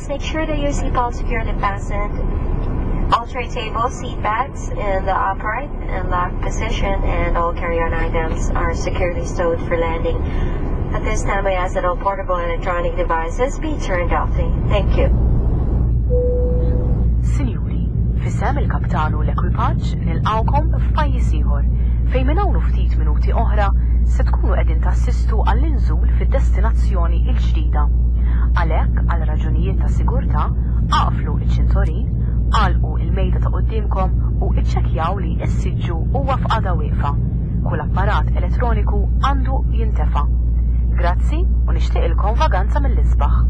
seats, make sure that your seatbelt securely fastened. All tray tables, seat backs in the upright and locked position, and all carry-on items are securely stowed for landing. At this time, I ask that all portable electronic devices be turned off. Thank you. Sinjuri, f'isem il-kaptan u l-ekwipaġġ nilqgħukom f'pajjiż ieħor, fejn minn hawn u ftit minuti oħra se tkunu qegħdin tassistu għall-inżul fid-destinazzjoni l-ġdida. Għalhekk, għal raġunijiet ta' sigurtà, aqflu ċ-ċintorin, agħlqu l-mejda ta' quddiemkom u iċċekkjaw li s-siġġu huwa f'qagħda wieqfa. Kull apparat elettroniku għandu jintefa'. Grazzi u nixtieqilkom vaganza mill-isbaħ.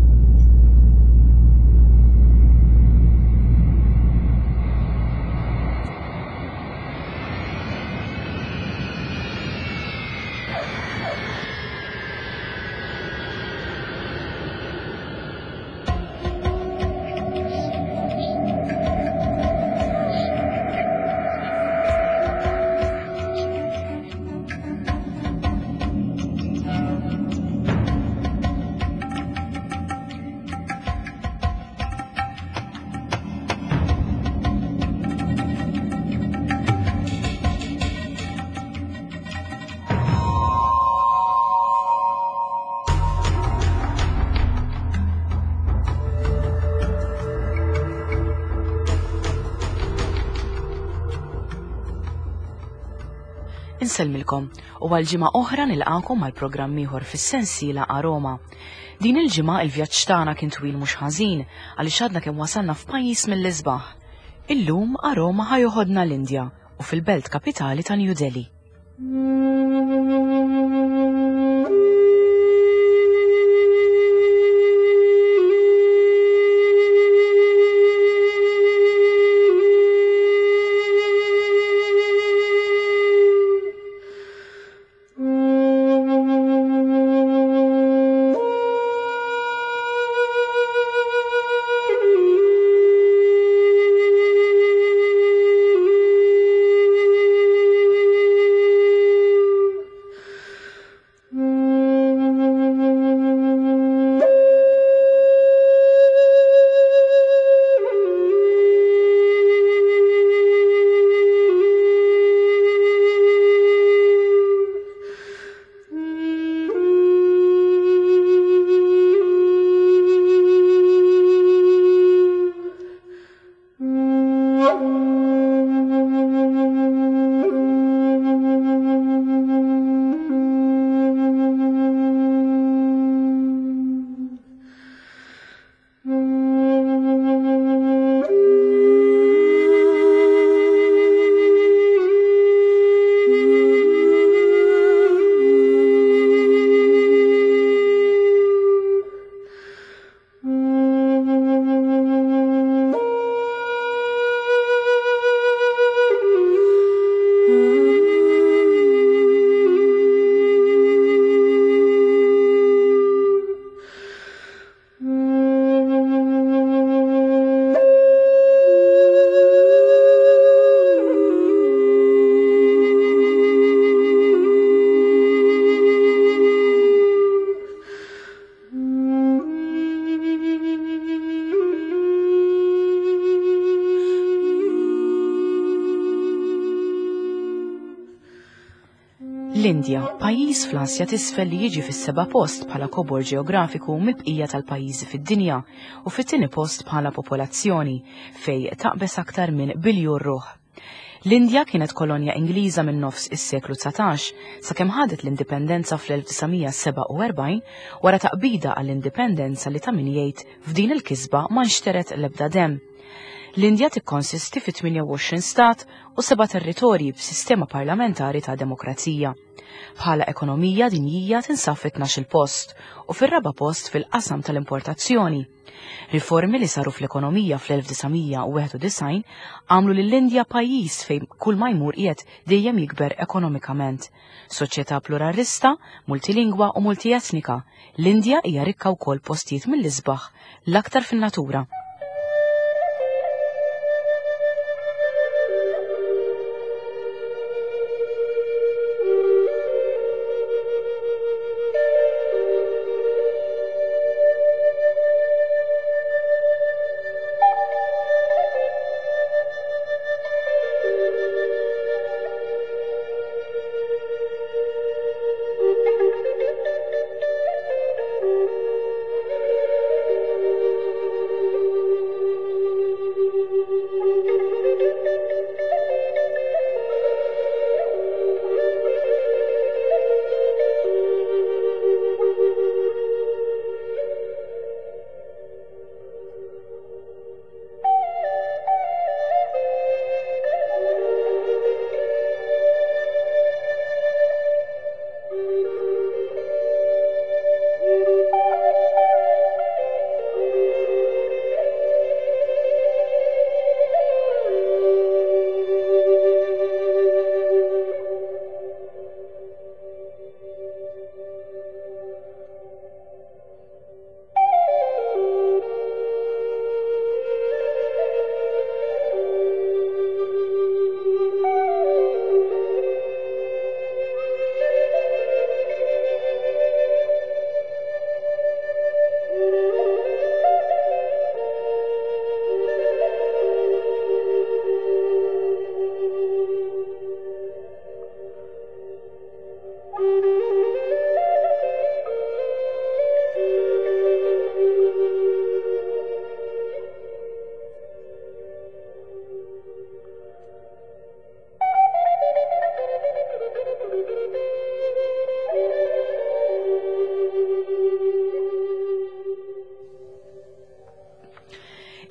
Insellmilkom u għal ġimgħa oħra nilqakom għal programm ieħor fis-sensiela Aroma. Din il-ġimgħa il-vjaġġ tagħna kien twil mhux ħażin għaliex għadna kemm wasalna f'pajjiż mill-isbaħ. Illum Aroma ħa joħodna l-Indja u fil-belt kapitali ta' New Delhi. L-Indja, pajjiż fl-Asja t'isfel li jiġi fis-seba' post bħala kobor ġeografiku mill-bqija tal-pajjiżi fid-dinja u fit-tieni post bħala popolazzjoni, fejn taqbeż aktar minn biljun ruħ. L-Indja kienet kolonja Ingliża minn nofs is-seklu 19 sakemm ħadet l-indipendenza fl-1947 wara taqbida għall-indipendenza li ta' min jgħid f'din il-kisba ma nxteret l-ebda demm. L-Indja tikkonsisti fi 28 stat u seba' territorji b'sistema parlamentari ta' demokrazija. Bħala ekonomija dinjija tinsab fit-12-il post u fir-raba' post fil-qasam tal-importazzjoni. Riformi li saru fl-ekonomija fl-1991 għamlu lill-Indja pajjiż fejn kull ma jmur qiegħed dejjem jikber ekonomikament. Soċjetà pluralista, multilingwa u multietnika, l-Indja hija rikka wkoll postijiet mill-isbaħ, l-aktar fin-natura.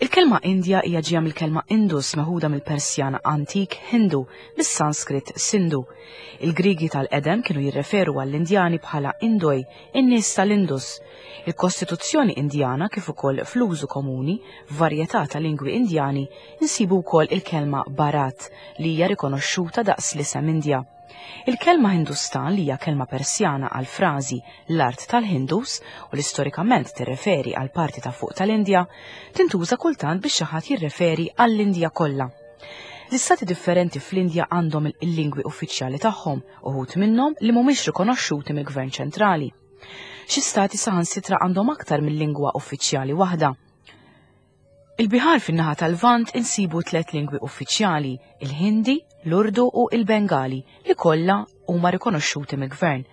Il-kelma Indja hija ġejja mill-kelma Indus meħuda mill-Persjan antik Hindu, mis-Sanskrit Sindhu. Il-Griegi tal-qedem kienu jirreferu għall-Indjani bħala Indoi, in-nies tal-Indus. Il-Kostituzzjoni Indjana kif ukoll fl-użu komuni f'varjetà ta' lingwi Indjani insibu wkoll il-kelma Bharat li hija rikonoxxuta daqs l-isem Indja. Il-kelma Hindustan li hija kelma Persjana għal frażi l-art tal-Hindus u li storikament tirreferi għal parti ta' fuq tal-Indja, tintuża kultant biex xi ħadd jirreferi għall-Indja kollha. L-istati differenti fl-Indja għandhom il-lingwi uffiċjali tagħhom, uħud minnhom li mhumiex rikonoxxuti mill-gvern ċentrali. Xi stati saħansitra għandhom aktar mill-lingwa uffiċjali waħda. Il-Bihar fin-naħa tal-Lvant insibu tlet lingwi uffiċjali, il-Hindi, l-Urdu u il-Bengali, li kollha huma rikonoxxuti mill-gvern.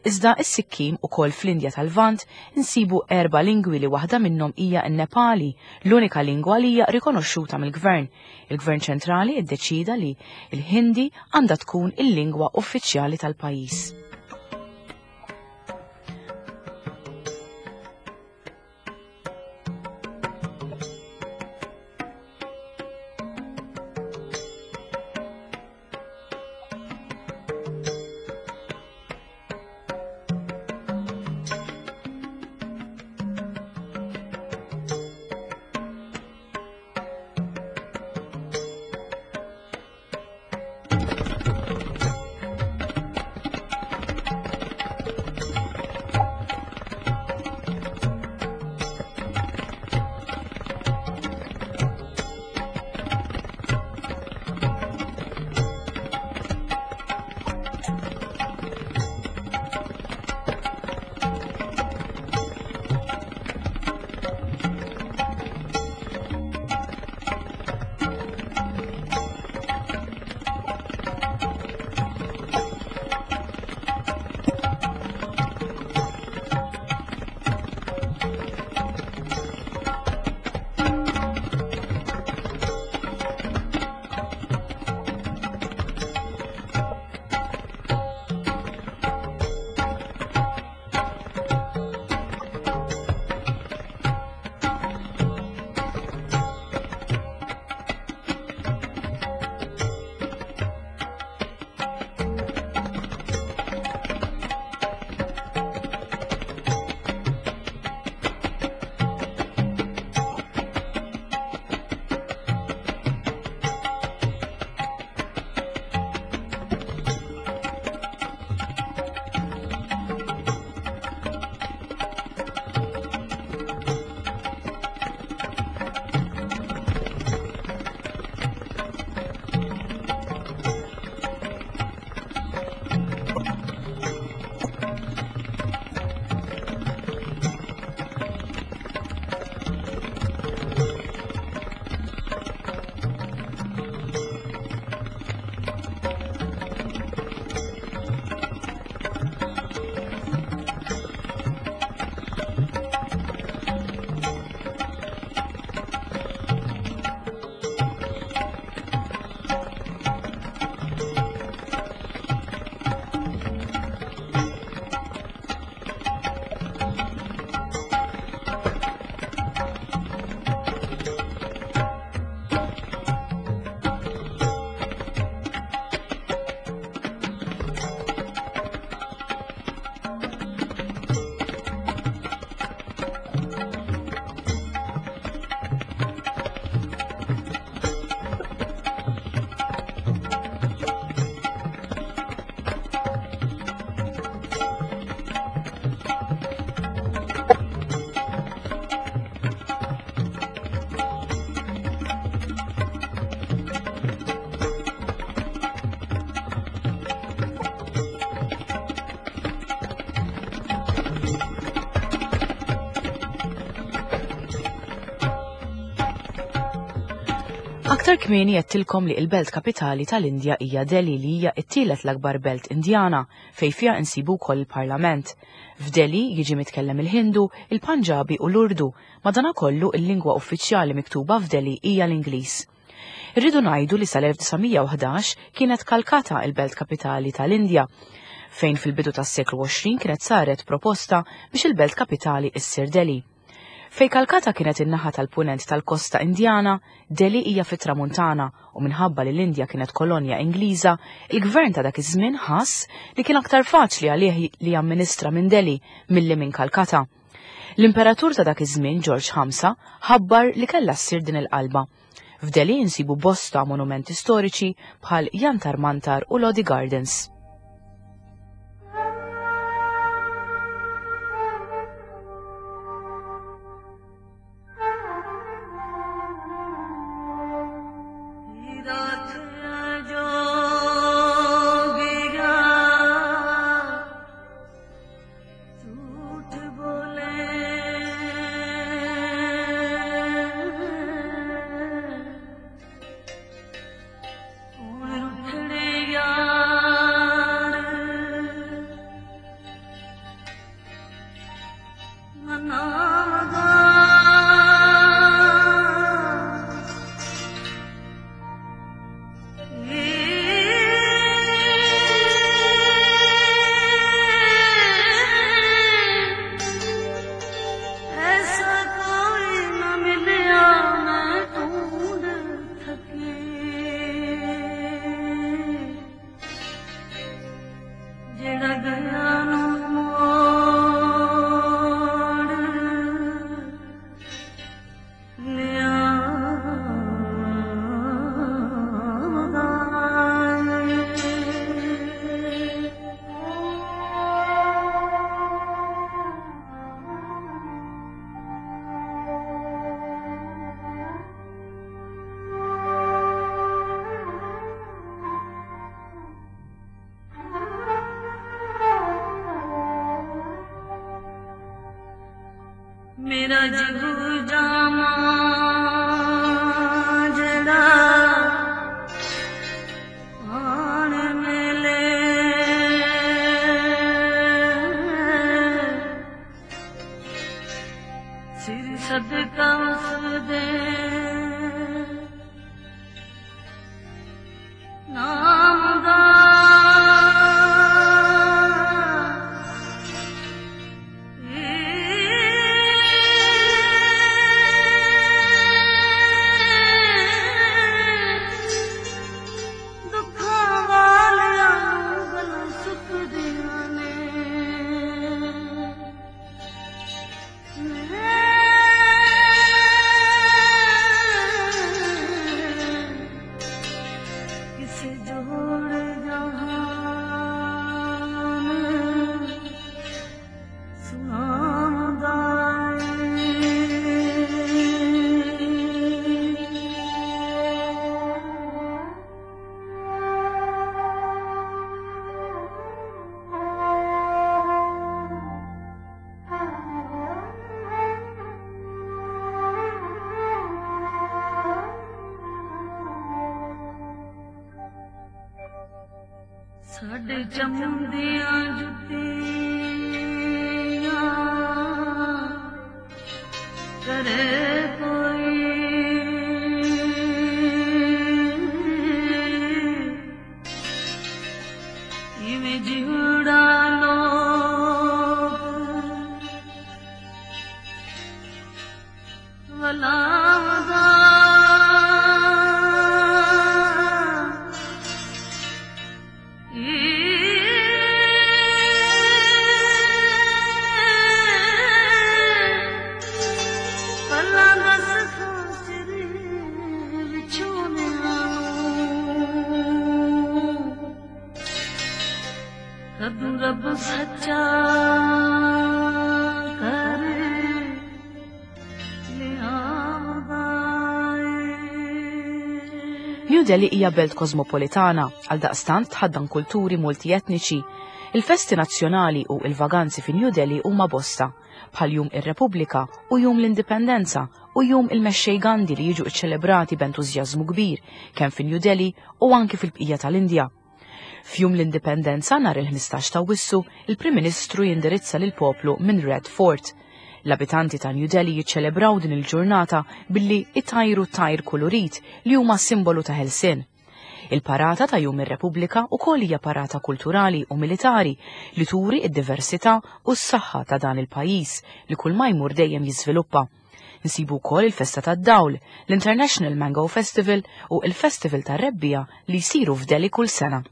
Iżda is-Sikkim ukoll fl-Indja tal-Lvant insibu erba' lingwi li waħda minnhom hija n-Nepali, l-unika lingwa li hija rikonoxxuta mill-gvern. Il-gvern ċentrali ddeċida li l-Hindi għandha tkun il-lingwa uffiċjali tal-pajjiż. Aktar kmieni għedtilkom li il-belt kapitali tal-Indja hija Delhi li hija t-tielet l-akbar belt Indjana fejn fiha insibu wkoll il-Parlament. F'Delhi jiġi mitkellem il-Hindu, il-Panġabi u l-Urdu, madanakollu il-lingwa uffiċjali miktuba f'Delhi hija l-Ingliż. Irridu ngħidu li sal-1911 kienet Calcutta il-belt kapitali tal-Indja, fejn fil-bidu tas-seklu 20 kienet saret proposta biex il-belt kapitali issir Delhi. Fejn Kalkata kienet in-naħa tal-punent tal-kosta Indjana, Delhi hija fit-tramuntana u minħabba li l-Indja kienet kolonja Ingliża, il-gvern ta' dak iż-żmien ħass li kien aktar faċli għalih li jamministra minn Delhi milli minn Kalkata. L-imperatur ta' dak iż-żmien Ġorġ Ħamsa ħabbar li kellha ssir din il-qalba. F'Delhi insibu bosta monumenti storiċi bħal Jantar Mantar u Lodi Gardens. ਮੇਰਾ ਜੀਵ ਜਾਮਾ ਜਿਹੜਾ ਆਣ ਮਿਲੇ, ਸਿਰ ਸਦਕਾ ਉਸ ਦੇ ਨਾਮ ਦਾ। ਦੁੱਖਾਂ ਵਾਲਿਆਂ ਨੂੰ ਗੱਲਾਂ ਸੁੱਕਦੀਆਂ ਨੇ। ਕਿਸੇ ਜੋੜ ਜਹਾਨ ਸੁਣਾਉਂਦਾ। ਸਾਡੇ ਚੰਮਦੀਆਂ ਜੁੱਤੀਆਂ ਕਰੇ ਕੋਈ, ਇਵੇਂ ਜਿਉੜਾ ਲੋਕ ਵਲਾਦਾ। ਪੱਲਾ ਬਸ ਖਾਤਰ ਵਿਛੋਣਿਆਂ ਨੂੰ ਕਦੋਂ ਰੱਬ ਸੱਚਾ ਕਰ ਲਿਆਉਂਦਾ ਏ। New Delhi hija belt kosmopolitana, għaldaqstant tħaddan kulturi multietniċi. Il-festi nazzjonali u il-vaganzi fi New Delhi huma bosta, bħal Jum ir-Repubblika u Jum l-Indipendenza u Jum il-Mexxej Gandhi li jiġu ċċelebrati b'entużjażmu kbir kemm fi New Delhi u anki fil-bqija tal-Indja. F'Jum l-Indipendenza nhar il-15 ta' Awwissu, il-Prim Ministru jindirizza lill-poplu minn Red Fort. L-abitanti ta' New Delhi jiċċelebraw din il-ġurnata billi itajru tajr kulurit li huma simbolu ta' ħelsien. Il-parata ta' Jum ir-Repubblika ukoll hija parata kulturali u militari li turi id-diversità u s-saħħa ta' dan il-pajjiż li kull ma jmur dejjem jiżviluppa. Nsibu wkoll il-Festa tad-Dawl, l-International Mango Festival u il-Festival tar-Rebbiegħa li jsiru f'Delhi kull sena.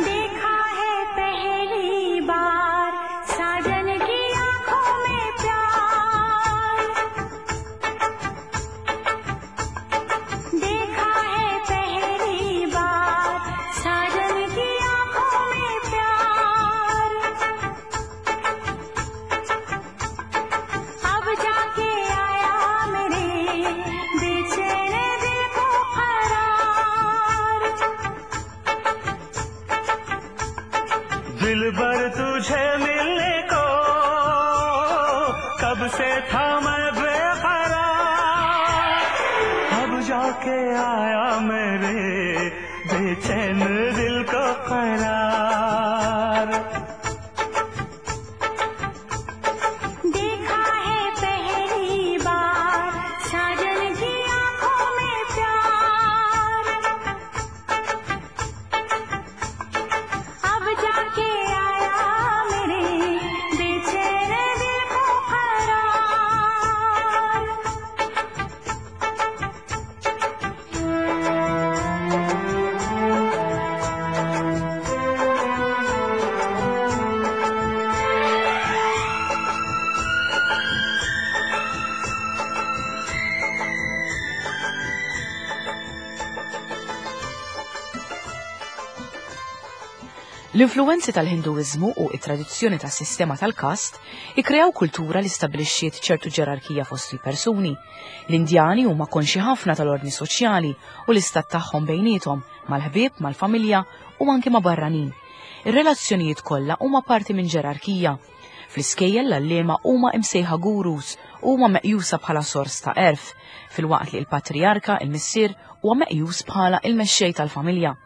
देखा है पहली बार साजन की आंखों में प्यार देखा है पहली बार साजन की आंखों में प्यार अब जाके आया मेरे बेचैन दिल को करार दिल भर तुझे मिलने को कब से था मैं बेकरार अब जाके आया मेरे बेचैन दिल को करार देखा है पहली बार साजन की आंखों में प्यार अब जाके आया मेरे बेचैन दिल को करार L-influwenzi tal-Hinduiżmu u it-tradizzjoni tas-sistema tal-kast ikkreaw kultura li stabbilixxiet ċertu ġerarkija fost il-persuni. L-Indjani huma konxi ħafna tal-ordni soċjali u l-istat tagħhom bejniethom, mal-ħbieb, mal-familja u anki ma' barranin. Ir-relazzjonijiet kollha huma parti minn ġerarkija. Fl-iskejjel l-għalliema huma imsejħa gurus u huma meqjusa bħala sors ta' għerf, filwaqt li l-patrijarka, il-missier, huwa meqjus bħala il-mexxej tal-familja.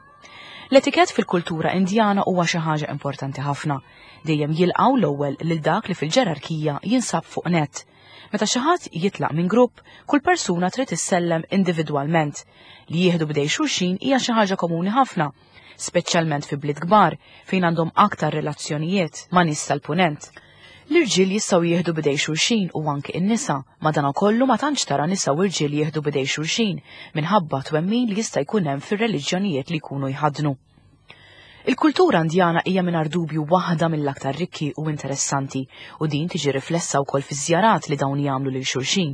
L-etikett fil-kultura Indjana huwa xi ħaġa importanti ħafna. Dejjem jilqgħu l-ewwel lil dak li fil-ġerarkija jinsab fuq nett. Meta xi ħadd jitlaq minn grupp, kull persuna trid issellem individwalment. Li jieħdu b'idej xulxin hija xi ħaġa komuni ħafna, speċjalment fi bliet kbar fejn għandhom aktar relazzjonijiet ma' nies tal-punent. L-irġiel jistgħu jieħdu b'idej xulxin u anke n-nisa, madankollu ma tantx tara nisa u rġiel jieħdu b'idej xulxin minħabba twemmin li jista' jkun hemm fir-reliġjonijiet li jkunu jħaddnu. Il-kultura Indjana hija mingħajr dubju waħda mill-aktar rikki u interessanti u din tiġi riflessa wkoll fiż-żjarat li dawn jagħmlu lil xulxin.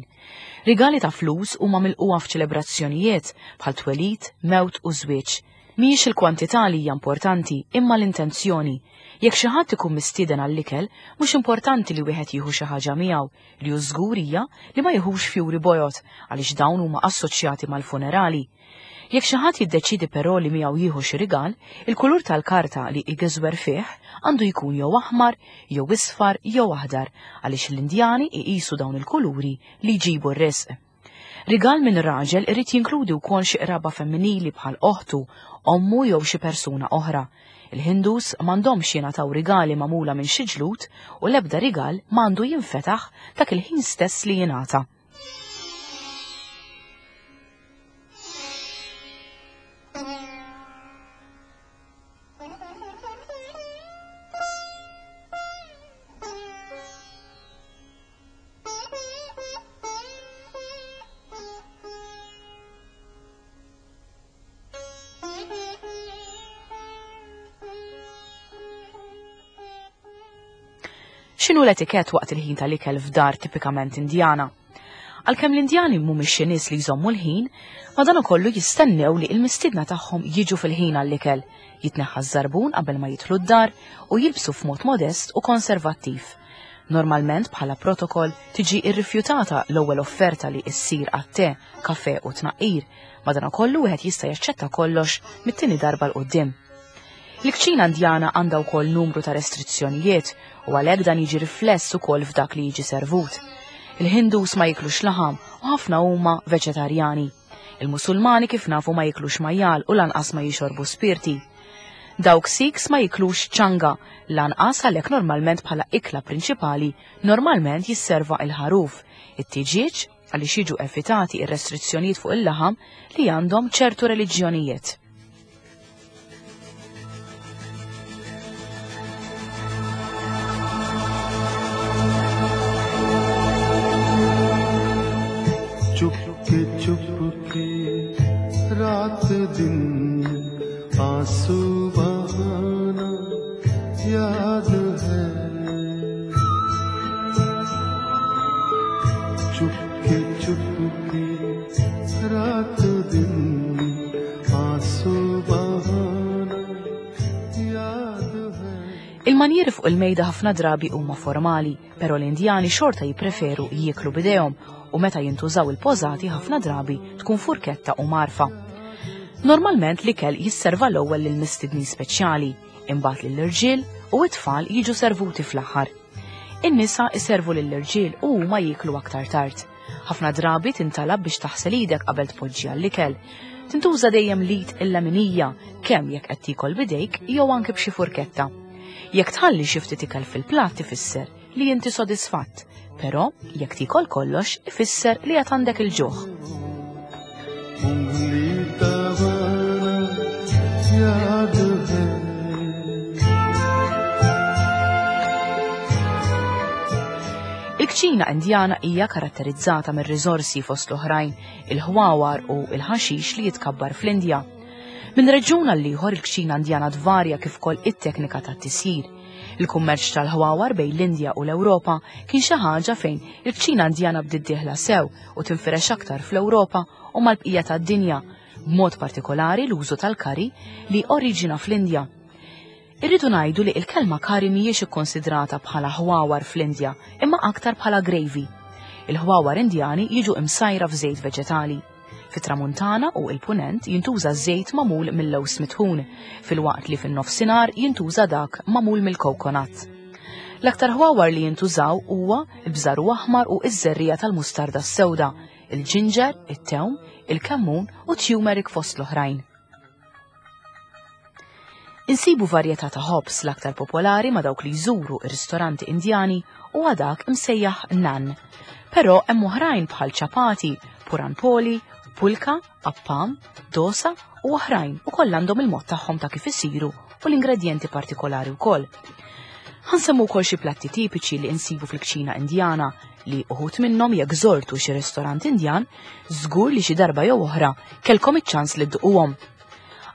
Rigali ta' flus huma milquha f'ċelebrazzjonijiet bħal twelid, mewt u żwieġ. Mhijiex il-kwantità li hija importanti, imma l-intenzjoni. Jekk xi ħadd ikun mistieden għall-ikel, mhux importanti li wieħed jieħu xi ħaġa miegħu, li hu żgur hija li ma jieħux fjuri bojod għaliex dawn huma assoċjati mal-funerali. Jekk xi ħadd jiddeċiedi però li miegħu jieħu xi rigal, il-kulur tal-karta li jgeżwer fih għandu jkun jew aħmar, jew isfar, jew aħdar, għaliex l-Indjani iqisu dawn il-kuluri li jġibu r-risq. Rigal minn raġel irid jinkludi wkoll xi qraba femminili bħal oħtu, ommu jew xi persuna oħra. Il-Hindus m'għandhomx jingħataw rigali magħmula minn xi ġlud u l-ebda rigal m'għandu jinfetaħ dak il-ħin stess li jingħata. X'inhu l-etikett waqt il-ħin tal-ikel f'dar tipikament Indjana? Għalkemm l-Indjani mhumiex xi nies li jżommu l-ħin, madankollu jistennew li l-mistiedna tagħhom jiġu fil-ħin għall-ikel, jitneħħa ż-żarbun qabel ma jidħlu d-dar u jilbsu f'mod modest u konservattiv. Normalment bħala protokoll tiġi rrifjutata l-ewwel offerta li ssir għat-te, kafe u tnaqqir, madankollu wieħed jista' jaċċetta kollox mit-tieni darba 'l quddiem. Il-kċina Indjana għandha wkoll numru ta' restrizzjonijiet u għalhekk dan jiġi rifless ukoll f'dak li jiġi servut. Il-Hindus ma jiklux laħam u ħafna huma veġetarjani. Il-Musulmani kif nafu ma jiklux majjal u lanqas ma jixorbu spirti. Dawk Sikhs ma jiklux ċanga, lanqas għalhekk normalment bħala ikla prinċipali normalment jisserva il-ħaruf, it-tiġieġ għaliex jiġu evitati ir-restrizzjonijiet fuq il-laħam li għandhom ċertu reliġjonijiet. Chupke chupke रात दिन आंसू बहाना याद है चुपके चुपके रात दिन आंसू बहाना याद है Il-manjieri fuq il-mejda ħafna drabi huma formali, però l-Indjani xorta jippreferu jieklu bidejhom u meta jintużaw il-pożati ħafna drabi tkun furketta u marfa. Normalment l-ikel jisserva l-ewwel lil mistednin speċjali, imbagħad lill-irġiel u t-tfal jiġu servuti fl-aħħar. In-nisa iservu lill-irġiel u huma jieklu aktar tard. Ħafna drabi tintalab biex taħsel idek qabel tpoġġi għall-ikel. Tintuża dejjem l-id il-leminija, kemm jekk qed tiekol bidejk jew anke b'xi furketta. Jekk tħalli xi ftit ikel fil-platt ifisser li inti sodisfatt, però jekk tiekol kollox ifisser li qed għandek il-ġuħ. उंगली दबाना याद है Il-kċina Indjana hija karatterizzata mir-riżorsi fost l-oħrajn, il-ħwawar u il-ħaxix li jitkabbar fl-Indja. Minn reġjun għal ieħor il-kċina Indjana tvarja kif ukoll it-teknika tat-tisjir. Il-kummerċ tal-ħwawar bejn l-Indja u l-Ewropa kien xi ħaġa fejn il-kċina Indjana bdiet dieħla sew u tinfirex aktar fl-Ewropa u mal-bqija tad-dinja, b'mod partikolari l-użu tal-kari li oriġina fl-Indja. Irridu ngħidu li l-kelma kari mhijiex ikkonsidrata bħala ħwawar fl-Indja, imma aktar bħala gravy. Il-ħwawar Indjani jiġu imsajra f'żejt veġetali. Fit-Tramuntana u il-Punent jintuża żejt magħmul mill-lewż mitħun, filwaqt li fin-nofsinhar jintuża dak magħmul mill-coconut. L-aktar ħwawar li jintużaw huwa l-bżaru aħmar u iż-żerriegħa tal-mustarda s-sewda, il-ġinġer, it-tewm, il-kemmun u turmeric fost l-oħrajn. Insibu varjetà ta' ħobż l-aktar popolari ma' dawk li jżuru ir-ristoranti Indjani u dak imsejjaħ nan. Però hemm oħrajn bħal ċapati, puranpoli, pulka, appam, dosa u oħrajn u koll għandhom il-mod tagħhom ta' kif isiru u l-ingredjenti partikolari wkoll. Ħa nsemmu wkoll xi platti tipiċi li insibu fil-kċina Indjana li uħud minnhom jekk żortu xi ristorant Indjan, żgur li xi darba jew oħra kellkom iċ-ċans li dduquhom.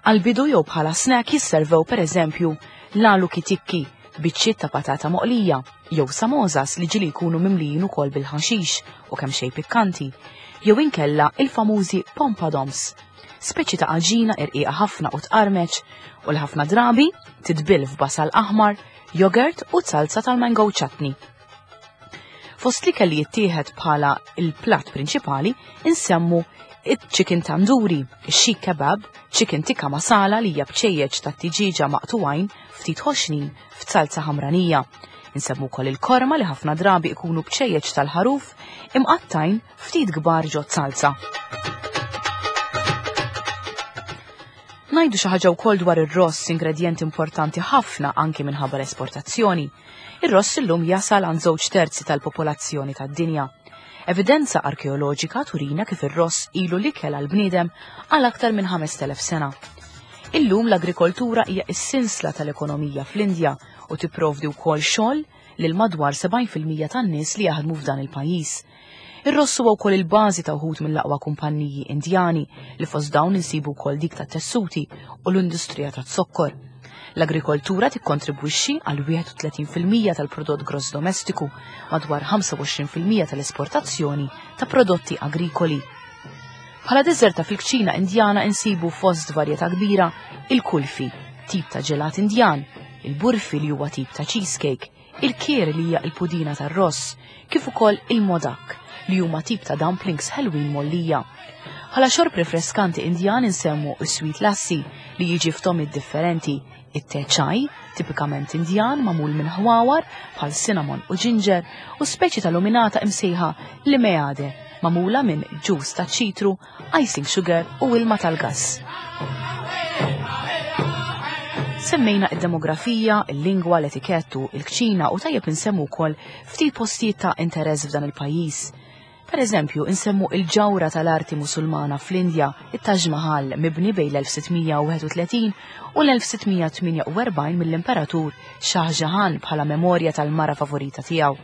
Għal-bidu jew bħala snack jisservew per eżempju l-aloo tikki, biċċiet ta' patata moqlija, jew samosas li ġieli jkunu mimlijin ukoll bil-ħaxix u kemm xejn pikkanti, jew inkella il-famużi pompadoms, speċi ta' għaġina irqiqa ħafna u tqarmeċ u l-ħafna drabi titbil f'basal aħmar, jogurt u salsa tal-mango chutney. Fost li kelli jittieħed bħala il-platt prinċipali insemmu il-chicken tandoori, il-seekh kebab, chicken tikka masala li hija bċejjeċ ta' tiġiġa maqtuwajn ftit ħoxnin f'salza ħamranija. Insemmu wkoll il-korma li ħafna drabi ikunu bċejjeċ tal-ħaruf imqattajn ftit kbar ġo salza. Ngħidu xi ħaġa wkoll dwar ir-ross, ingredjent importanti ħafna anki minħabba l-esportazzjoni. Ir-ross illum jasal għand 2/3 tal-popolazzjoni tad-dinja. Evidenza arkeoloġika turina kif ir-ross ilu l-ikel għal-bniedem għal aktar minn 5000 sena. Illum l-agrikoltura hija s-sinsla tal-ekonomija fl-Indja u tipprovdi wkoll xogħol lil madwar 70% tan-nies li jaħdmu f'dan il-pajjiż. Ir-ross huwa wkoll il-bażi ta' wħud mill-aqwa kumpanniji Indjani li fost dawn insibu wkoll dik ta' tessuti u l-industrija ta' zokkor. L-agrikoltura tikkontribwixxi għal 31% tal-prodott gross domestiku, madwar 25% tal-esportazzjoni ta' prodotti agrikoli. Bħala deżerta fil-kċina Indjana insibu fost varjetà kbira il-kulfi, tip ta' ġelat Indjan, il-burfi li huwa tip ta' cheesecake, il-kir li hija il-pudina tar-ross, kif ukoll il-modak li huma tip ta' dumplings ħelwin mgħollija. Bħala xorb refreskanti Indjan insemmu is-sweet lassi li jiġi f'togħmiet differenti, it-te chai, tipikament Indjan magħmul minn ħwawar bħal cinnamon u ginger, u speċi ta' luminata imsejħa limeade, magħmula minn ġus ta' ċitru, icing sugar u ilma tal-gas. Semmejna id-demografija, il-lingwa, l-etikettu, il-kċina u tajjeb insemmu wkoll ftit postijiet ta' interess f'dan il-pajjiż. Per eżempju, insemmu il-ġawra tal-arti Musulmana fl-Indja, it-Taj Mahal, mibni bejn l-1631 u l-1648 mill-Imperatur Shah Jahan bħala memorja tal-mara favorita tiegħu.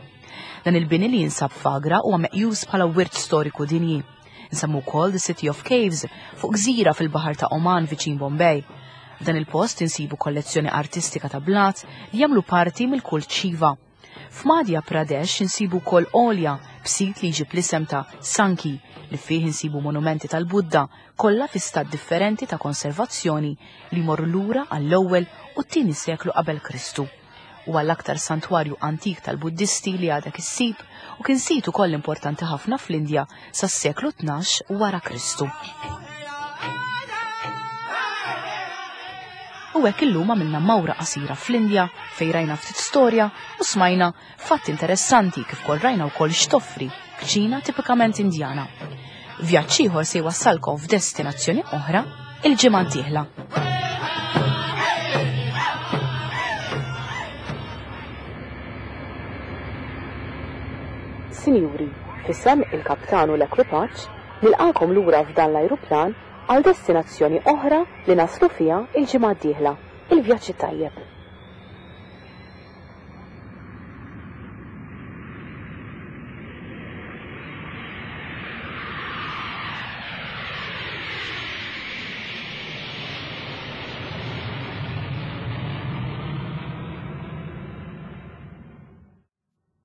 Dan il-bini li jinsab f'Agra huwa meqjus bħala wirt storiku dinji. Nsemmu wkoll The City of Caves fuq gżira fil-baħar ta' Oman viċin Bombay. F'dan il-post insibu kollezzjoni artistika ta' blat li jagħmlu parti mill-kult Shiva. F'Madhya Pradesh insibu wkoll għolja b'sit li jġib l-isem ta' Sanchi li fih insibu monumenti tal-Buddha kollha fi stat differenti ta' konservazzjoni li jmorru lura għall-ewwel u t-tieni seklu qabel Kristu. Huwa l-aktar santwarju antik tal-Buddisti li għadek issib u kien sit ukoll importanti ħafna fl-Indja sas-seklu 12 wara Kristu. U hekk illum għamilna mawra qasira fl-Indja fejn rajna ftit storja u smajna fatti interessanti kif kol rajna wkoll x'toffri kċina tipikament Indjana. Vjaġġ ieħor se jwassalkom f'destinazzjoni oħra il-ġimgħa d-dieħla. Sinjuri, f'isem il-kaptan u l-ekwipaġġ, nilqakom lura f'dan l-ajruplan għal destinazzjoni oħra li naslu fiha l-ġimgħa d-dieħla. Il-vjaġġ it-tajjeb.